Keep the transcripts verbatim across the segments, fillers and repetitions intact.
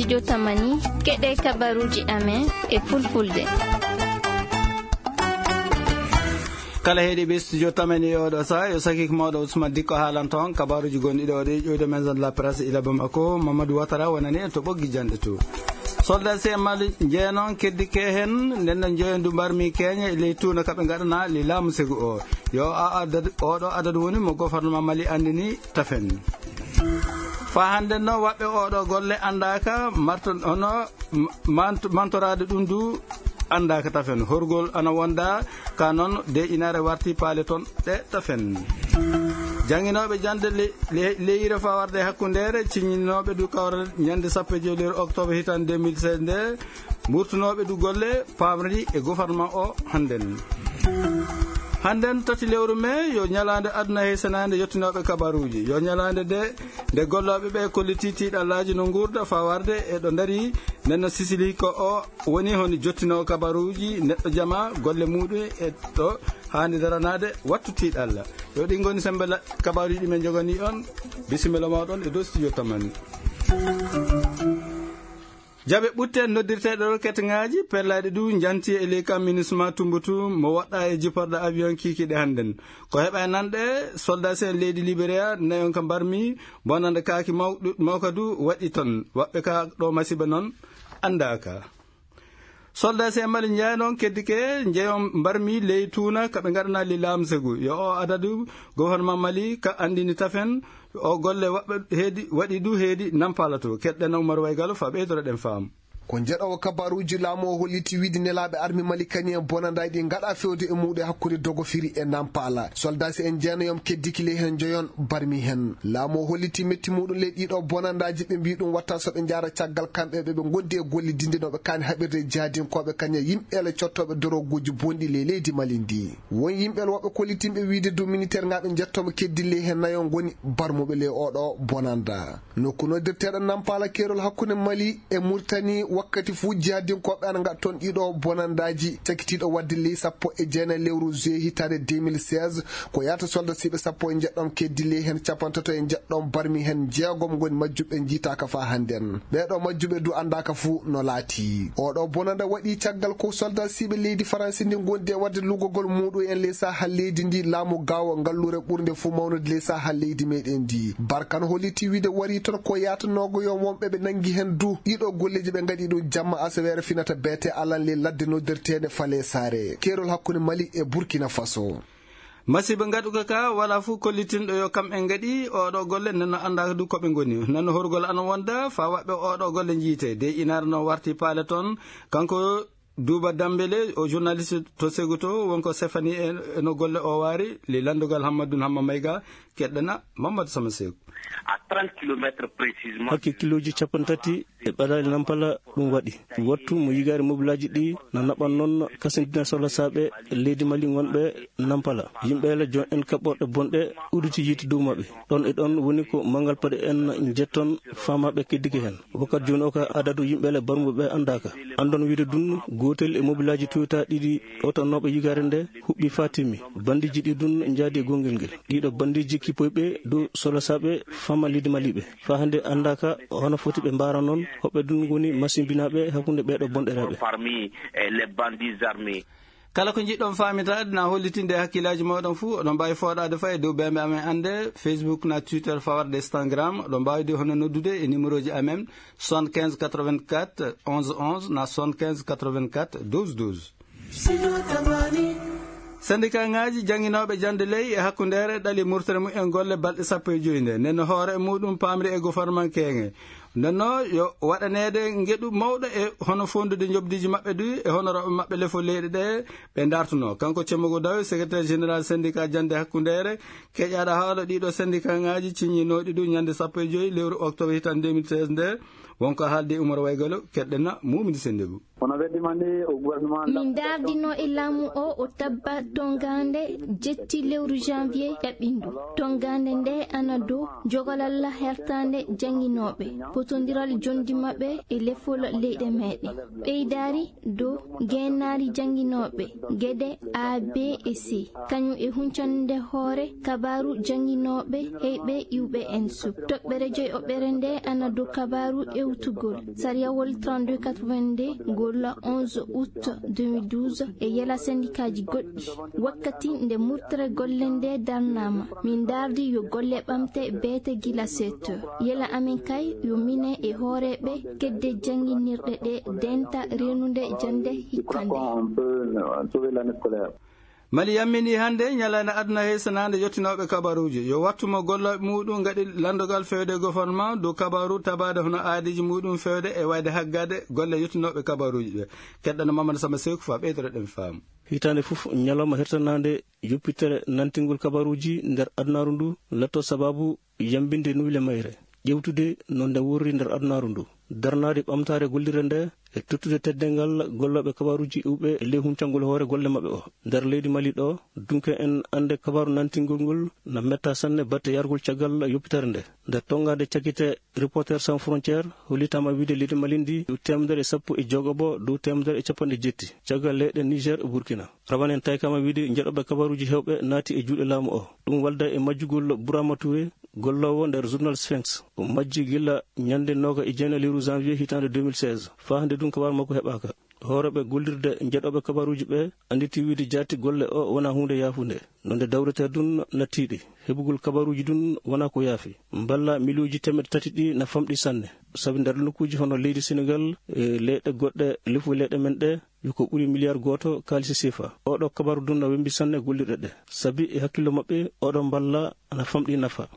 Yo tamani, keɗe kabaruji amen e fulfulde. Kala heɗi ɓe studio tamani e oɗo sa, yo sakik mawɗo Ousmane Dikko haalan toon kabaruji gonɗi ɗo ɗi ƴoyde maison de la presse ila Bamako, Mamadou Ouattara wonani en to ɓoggi janɗe to. Soldat C M L jeenon keddike heen, nden no joyo ndu mbarmi keeña e ley tuuna ka ɓe ngaɗana li laamu segu o. Yo a adad, oɗo adadu woni mo gouvernement Mali anndini tafen. Faa hannden noon waɗɓe oɗo golle anndaaka, marto-, hono, m-, mant-, mantoraade ɗum du anndaaka tafen. Horgol ana wonda ka noon de inaare warti paale toon ɗe tafen. Jannginooɓe jannde le-, le-, leyre fawarde hakkundeere, ciññinooɓe du kawral ñannde sappo e joy lewru octobre hitaande deux mille seize nde, mburtunooɓe du golle paamri e gouvernement o hannden. Hannden tati lewru mee yo ñalaande aduna heysanaande yottinooɓe kabaruuji. Yo ñalaande de, nde gollooɓe ɓe kolliti tiiɗallaaji no nguurda fawarde e ɗo ndari, nden no sisili ko o woni honi jottinoowo kabaruuji neɗɗo jama golle muuɗum e ɗo haandi daranaade wattu tiiɗalla. Yo ɗi ngoni sembe la-, kabaruuji ɗi men njoganii on. Bisimilla mooɗon e dow studio tamani. Jaɓe ɓutte noddirteeɗe roket ŋaaji pellaaɗi du njanti e ley kam minisma Tumbutu mo woɗɗa e jipporɗe avion kiikiiɗe hannden. Ko heɓa e nanɗe, soldat en leydi Liberia nayon ka mbarmi, bonande kaaki mawɗu-, mawka du waɗi ton. Waɓɓe ka ɗo masiba noon anndaaka. Soldat en Mali njeya noon keddike njeyon mbarmi ley tuuna ka ɓe ngaɗana li laamsegu. Yo o adadu gouvernement Mali ka anndini tafen, o golle waɗɓe heedi, waɗi du heedi nampala to. Keɗɗen Umar Waygalo fa ɓeydoro ɗen faam. Ko njeɗoowo kabaruuji laamu o holliti wiide nelaaɓe armi Mali kañum en bonandaaji ɗi ngaɗa fewde e muuɗum hakkunde Dogofiri e Nampala. Soldaasi en jeenayon keddiki ley heen njoyon barmi heen. Laamu o holliti metti muuɗum ley ɗiɗo bonandaaji, ɓe mbii ɗum watta so ɓe njaara caggal kamɓe ɓe ɓe ngondi e golle dinde no ɓe kaani haɓirde e jaadinkooɓe kañum e yimɓeele cottooɓe doroguuji bonɗi ley leydi Mali ndi. Won yimɓeele woɓɓe kollitinɓe wiide du miniteer ŋaaɓe njettooma keddi ley heen nayo ngoni barmuɓe ley oɗo bonanda. Nokku noddirteeɗo Nampala keerol hakkunde Mali e Murtani, wakkati fuu jihaadinkooɓe ana ngaɗa toon ɗiɗo bonandaaji, cakitiiɗo waɗde ley sappo e jeenayi lewru juillet hitaande deux mille seize, ko yahata soldasiiɓe sappo e njeɗɗo keddi ley heen capantato e njeɗɗo barmi heen jeegom ngoni majjuɓe njiitaaka faa hannden. Ɓeeɗo majjuɓe du anndaaka fuu no laatii. Oɗo bonanda waɗi caggal ko soldasiiɓe leydi Faransi ndi ngondi e waɗde lugogol muuɗum en ley saha leydi ndi laamu gaawo ngalluure ɓurnde fuu mawnude ley saha leydi meɗen ndi. Barkan holliti wiide wari toon ko yaatanoogo yo wonɓe ɓe nanngi heen du. Ɗiɗo golleeji ɓe ngaɗi ɗum jamma asaweere finata beete alan ley ladde noddirteende Fale Saare. Keerol hakkunde Mali e Burkina Faso. Masiiba ngaɗuka ka wala fuu kollitinɗo yo kam en ngaɗi oɗo golle, nden no anndaaka du ko ɓe ngoni. Nden no horgol ana wonda faa waɓɓe oɗo golle njiite. De inaare no warti paale toon, kanko Duuba Dambele, o journaliste to Seguto, wonko Sefani e, e no golle o waari, li lanndugal Hammadun Hamma Mayga, keɗɗana Mamadou Sama Seeku. À trente kilomètres précisément. Hakke kilooji cappanɗe tati e ɓadaali Nampala ɗum waɗi. Wattu mo yigaare mobilaaji ɗi na naɓan noon kasindina sohla saaɓe leydi Mali ngonɓe Nampala. Yimɓe la jon en kaɓɓorɗe bonɗe udditi yiite dow maɓɓe. Ɗon e ɗon woni ko manngal paɗe en njetton faamaaɓe keddike heen. Wakkati jooni o ka adadu yimɓe le barmuɓe ɓe anndaaka. Anndon wiide dun gootel e mobilaaji Toyota ɗiɗi ɗowtannooɓe yigaare nde huɓɓi faa timmi. Bandiiji ɗi dun njaadi e gonngel ngel. Ɗiɗo bandiiji kippoyɓe dow solasaaɓe faama leydi Maliɓe. Faa hannde anndaaka hono foti ɓe mbaara noon, hoɓɓe dun ngoni masimbinaaɓe hakkunde ɓeeɗo bonɗeraaɓe. Parmi, eh, les bandits armés. Kala ko njiɗɗon faamitaade na hollitinde e hakkillaaji mooɗon fuu, oɗon mbaawi fooɗaade faa e dow beembe amen annde, Facebook na Twitter fawarde Instagram. Oɗon mbaawi de hono noddude e numéroji amen, soixante-quinze quatre-vingt-quatre onze onze na soixante-quinze quatre-vingt-quatre douze douze. Syndicat ŋaaji jannginooɓe jannde ley e hakkundeere ɗali murtere mum en golle balɗe sappo e joy nde. Nden no hoore e muuɗum paamri e goforman keeŋe. Nden no yo waɗaneede ngeɗu mawɗo e hono foondude njoɓdiiji maɓɓe du e hono rewɓe maɓɓe lefol leyɗe ɗe ɓe ndartunoo. Kanko Cemmogo Dawe, secrétaire général syndicat jannde hakkundeere, keƴaaɗo haala ɗiɗo syndicat ŋaaji ciññinooɗi du ñande sappo e joy lewru octobre hitaande deux mille seize nde, wonko haaldi Umar Waygalo, keɗɗena Mumini Sennde Bou. Kono weddima nde o gouvernement Min ndaardino e laamu o, o tabba tongaande jetti lewru janvier ƴaɓɓindu. Tongaande nde ana dow jogolal hertaande jannginooɓe, potondiral jonndi maɓɓe e lefol leyɗe meeɗen. Ɓeydaari dow geenaari jannginooɓe, geɗe A, B e C. Kañum e huncande hoore kabaaru jannginooɓe heyɓe iwɓe en suk. Toɓɓere joy oɓɓere nde ana dow kabaaru ewtugol sariyawol trente-deux quatre-vingt-deux ngol onze août deux mille douze e yela sendikaaji goɗɗi. Wakkati nde murtere golle nde darnaama, min ndaardi yo golle ɓamte beete gila seeto. Yela amen kay yo mine e hooreeɓe kedde jannginirɗe ɗe denta reenunde jannde hikkande. Mali yammini hannde ñalaande aduna heysanaande yottinooɓe kabaruuji. Yo wattu mo gollooɓe muɗum ngaɗi lanndogal fewde gouvernement dow kabaru tabaade hono aadiiji muɗum fewde e wayde haggade golle yottinooɓe kabaruuji ɓe. Keɗɗana Mamadou Samba Seku fa ɓeydoro ɗen faamu. Hitaande fof, ñalawma hertanaande yoppitere nantingol kabaruuji nder adunaaru ndu latto sababu yambinde nuyle mayre, ƴewtude no nde worri nder adunaaru ndu, darnaade ɓamtaare gollirde nde e tottude teddeengal gollooɓe kabaaruuji iwɓe e ley huncangol hoore golle maɓɓe o. Nder leydi Mali ɗo, dunke en annde kabaaru nantingol ngol na metta sanne batte yargol caggal yoppitere nde. Nder tongaade cakkite Reporters sans frontières, hollitaama wiide leydi Mali ndi dow teemedere e sappo e jogoɓo dow teemedere e capanɗe jetti caggal leyɗe Niger e Burkina. Rawanen taykaama wiide njeɗoɓe kabaaruuji heewɓe naati e juuɗe laamu o. Ɗum walda e majjugol Burama Touré, golloowo nder journal Sphinx. O majji gila ñande nooga e jeenayi lewru janvier hitaande deux mille seize. Faa hannde ɗum kabaaru makko heɓaaka. Hooreeɓe gollirde njeɗoɓe kabaaruuji ɓe annditi wiide jaati golle o wona huunde yaafunde. Nonde dawreteeɗe ɗum na tiiɗi. Heɓugol kabaaruuji ɗum wona ko yaafi. Mballa miliyuuji teemeɗɗe tati ɗi na famɗi sanne. Sabi nder nokkuuji hono leydi Senegal e leyɗe goɗɗe lefu leyɗe men ɗe, yo ko ɓuri miliyar gooto kaalisi sefa. Oɗo kabaaru ɗum na wembi sanne gollirɗe ɗe. Sabi e hakkillo maɓɓe, oɗo mballa ana famɗi nafa.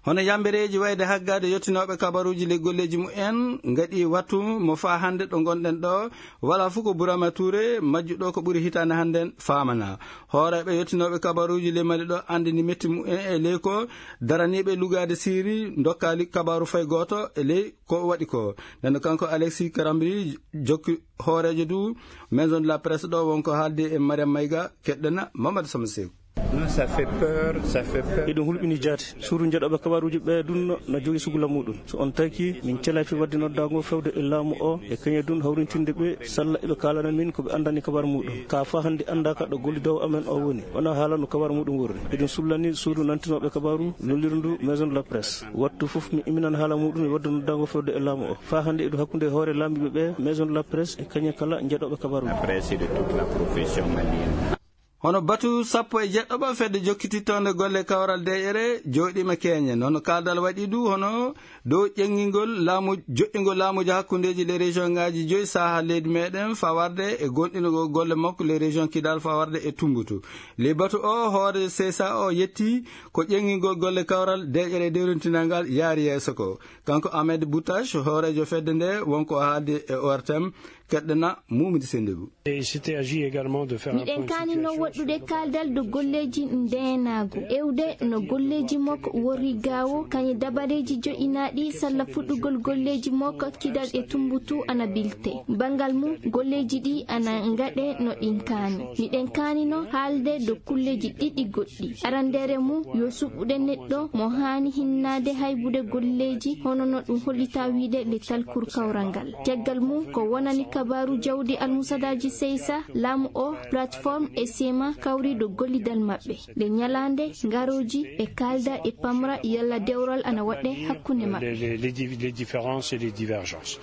Hono yambereeji wayde haggade yottinooɓe kabaruuji ley golleeji mumen ngaɗi wattu mo faa hannde ɗo ngonɗen ɗo, wala fof ko Burama Touré, majjuɗo ko ɓuri hitaande hannden faamana. Hooreeɓe yottinooɓe kabaruuji ley Mali ɗo anndini metti mumen e ley ko daraniiɓe lugaade siiri ndokkaali kabaru fay gooto e ley ko waɗi ko. Nden kanko Alexis Karambri jokki hooreejo du Maison de la Presse ɗo wonko haaldi e Mariam Mayga, keɗɗena Mamadou Sama Seeku. Non, ça fait peur, ça fait peur. Eɗum hulɓini jaati. Suudu njeɗoɓe kabaruuji ɓe ɗum na jogi sugula muɗum. So on taki, min celafi wadde noddago fewde e laamu o, e kañe ɗum hawrintinde ɓe, salla eɓe kaalana min ko ɓe anndani kabar muɗum. Ka fa hannde annda ka ɗo gollidowo amen o woni. Wona haala no kabar muɗum worri. Eɗum sullani suudu nantinoɓe kabaru, lollirndu Maison de la Presse. Wattu fof mi iminan haala muɗum e wadde noddago fewde e laamu o. Fa hannde eɗum hakkunde hoore laamiɓe ɓe, Maison de la Presse e kañe kala njeɗoɓe kabaru. La presse de toute la profession malienne. Hono batu sappo e jeɗɗo ɓa fedde jokkitittonde golle kawral deƴƴere jooɗiima keeñe. Noon kaaldal waɗi du hono dow ƴeŋngingol laamu, joƴƴingol laamuuji hakkundeeji les région ŋaaji joyi saha leydi meɗen fawarde e gonɗinugol golle makko les région Kidal fawarde e Tumbutu. Ley batu o hoore C S A o yetti ko ƴeŋngingol golle kawral deƴƴere dewrintinal ngal yaari yeeso ko. Kanko Ahmed Boutache, hooreejo fedde nde, wonko haaldi e O R T M, keɗɗena Mumidi Sendebou. Et il s'était agi également de faire un point de situation. Miɗen kaanino waɗɗude kaaldal dow golleeji ndeenaagu, ewde no golleeji makko worri gaawo, kañe dabareeji joƴƴinaaɗi salla fuɗɗugol golleeji makko Kidal e Tumbutu ana bilte. Banngal mum, golleeji ɗi ana ngaɗe no ɗin kaani. Miɗen kaanino haalde dow kulleeji ɗiɗi goɗɗi. Aranndeere mum, yo suɓɓude neɗɗo mo haani hinnaade haybude golleeji hono no ɗum hollita wiide le talkur kawral ngal. Caggal mum, ko wonani kabaaru jawdi almusadaaji seysa, laamu o, plateforme e sema kawri dow gollidal maɓɓe. Nde ñalaande, ngarooji e kaalda e pamra yalla dewral ana waɗɗe hakkunde maɓɓe. Les, les, les di-, les différences et les divergences.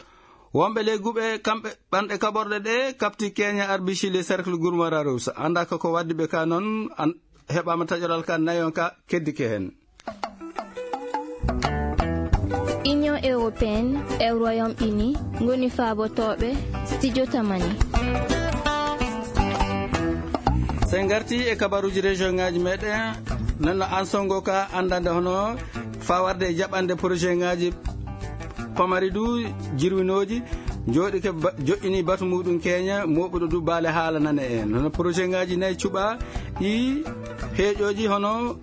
Wonɓe ley guɓe kamɓe ɓanɗe kaɓorɗe ɗe kaɓti keeña arbici le cercle Gourma Rarousse. Annda ko ko waddi ɓe ka noon, an-, heɓaama taƴoral ka nayon ka keddike heen. Union européenne e Royaume-Uni ngoni faabotooɓe studio Tamani. So en ngarti e kabaruuji région ŋaaji meɗen, nana an songo ka anndande hono fawarde e jaɓande projet ŋaaji pamari du jirwinooji, jooɗike ba-, joƴƴini batu muɗum keeña, mooɓuɗo du baale haala nane en. Hono projet ŋaaji nayi cuɓa, ɗi heeƴooji hono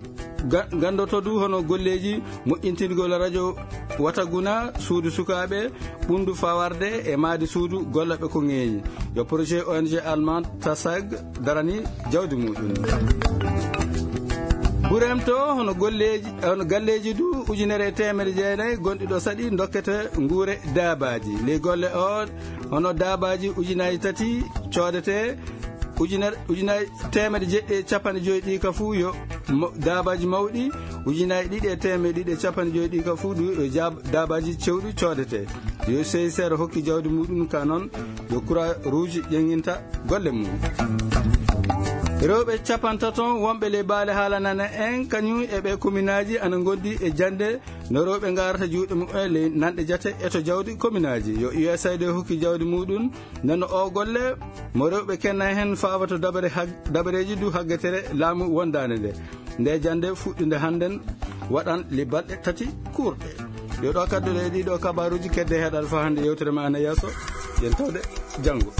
ga-, ganndoto du hono golleeji moƴƴintingol radio wataguna suudu sukaaɓe ɓundu fawarde e maadi suudu gollaɓe ko ŋeeñi. Yo projet O N G allemand Tasag darani jawdi muɗum. Burem to hono golleeji, hono galleeji du ujunere e teemedde jeenayi gonɗi ɗo saɗi dokkete nguure daabaaji. Ley golle o hono daabaaji ujunaaji tati coodete ujunere, ujunaaji teemedde jeɗɗi e capanɗe joyi ɗi ka fuu yo ma-, daabaaji mawɗi, ujunaaji ɗiɗi e teemedde ɗiɗi e capanɗe joyi ɗi ka fuu du yo jaab-, daabaaji cewɗi coodete. Yo C I C R hokki jawdi muɗum ka noon, yo Croix Rouge ƴeŋŋinta golle mum. Rewɓe capantato wonɓe ley baale haalanana en kañum e ɓe kominaaji ana ngondi e jannde no rewɓe ngarata juuɗe mumen ley nanɗe jate e to jawdi kominaaji. Yo U S A I D hokki jawdi muɗum, nano o golle mo rewɓe kenna heen fawato dabare hag-, dabareeji du haggetere laamu wondaande nde. Nde jannde fuɗɗunde hannden waɗan le balɗe tati kuurɗe. Yo ɗo kadduɗe e ɗiɗo kabaaruuji kedde heɗal fa hannde yewtere ma ana yeeso. Yen tawde janngo.